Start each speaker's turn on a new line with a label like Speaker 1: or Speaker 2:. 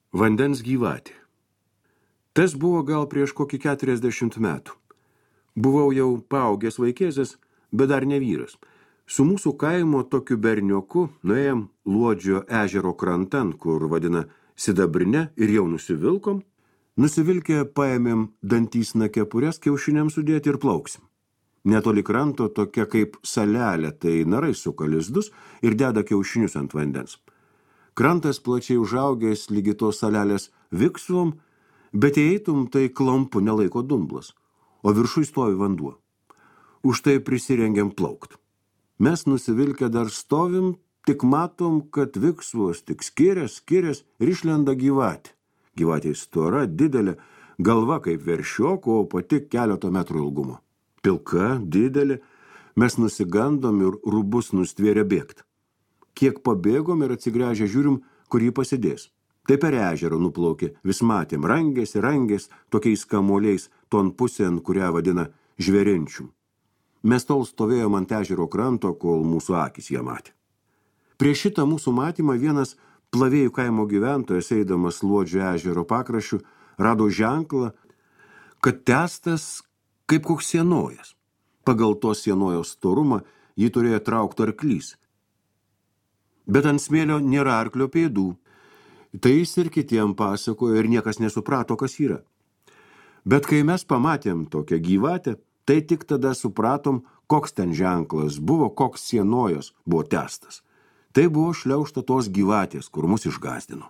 Speaker 1: Vandens gyvatė. Tas buvo gal prieš kokį 40 metų. Buvau jau paaugęs vaikėzas, bet dar ne vyras. Su mūsų kaimo tokiu bernioku nuėjom Luodžio ežero krantan, kur vadina Sidabrine, ir jau nusivilkom. Nusivilkę paėmėm dantysną kepures kiaušiniams sudėti ir plauksim. Netoli kranto tokia kaip salelė, tai narai suka lizdus ir deda kiaušinius ant vandens. Krantas plačiai užaugęs lygi tos salelės viksvom, bet jei eitum, tai klampu nelaiko dumblas, o viršui stovi vanduo. Už tai prisirengiam plaukt. Mes nusivilkę dar stovim, tik matom, kad viksvos tik skirias ir išlenda gyvatė. Gyvatė stora, didelė, galva kaip veršioko, o pati keleto metrų ilgumo. Pilka, didelė, mes nusigandom ir rūbus nustvėrė bėgt. Kiek pabėgom ir atsigręžę žiūrim, kur jį pasidės. Tai per ežerą nuplaukė, vis matėm, rangės, tokiais kamuoliais, ton pusėn, kurią vadina žvėrenčium. Mes tol stovėjom ant ežero kranto, kol mūsų akis ją matė. Prieš šitą mūsų matymą vienas Plavėjų kaimo gyventojas, eidamas Luodžio ežero pakraščiu, rado ženklą, kad testas kaip koks sienojas. Pagal to sienojos storumą jį turėjo traukti arklys. Bet ant smėlio nėra arklio pėdų. Tai jis ir kitiem pasakojo ir niekas nesuprato, kas yra. Bet kai mes pamatėm tokią gyvatę, tai tik tada supratom, koks ten ženklas buvo, koks sienojos buvo testas. Tai buvo šliaužta tos gyvatės, kur mus išgąsdino.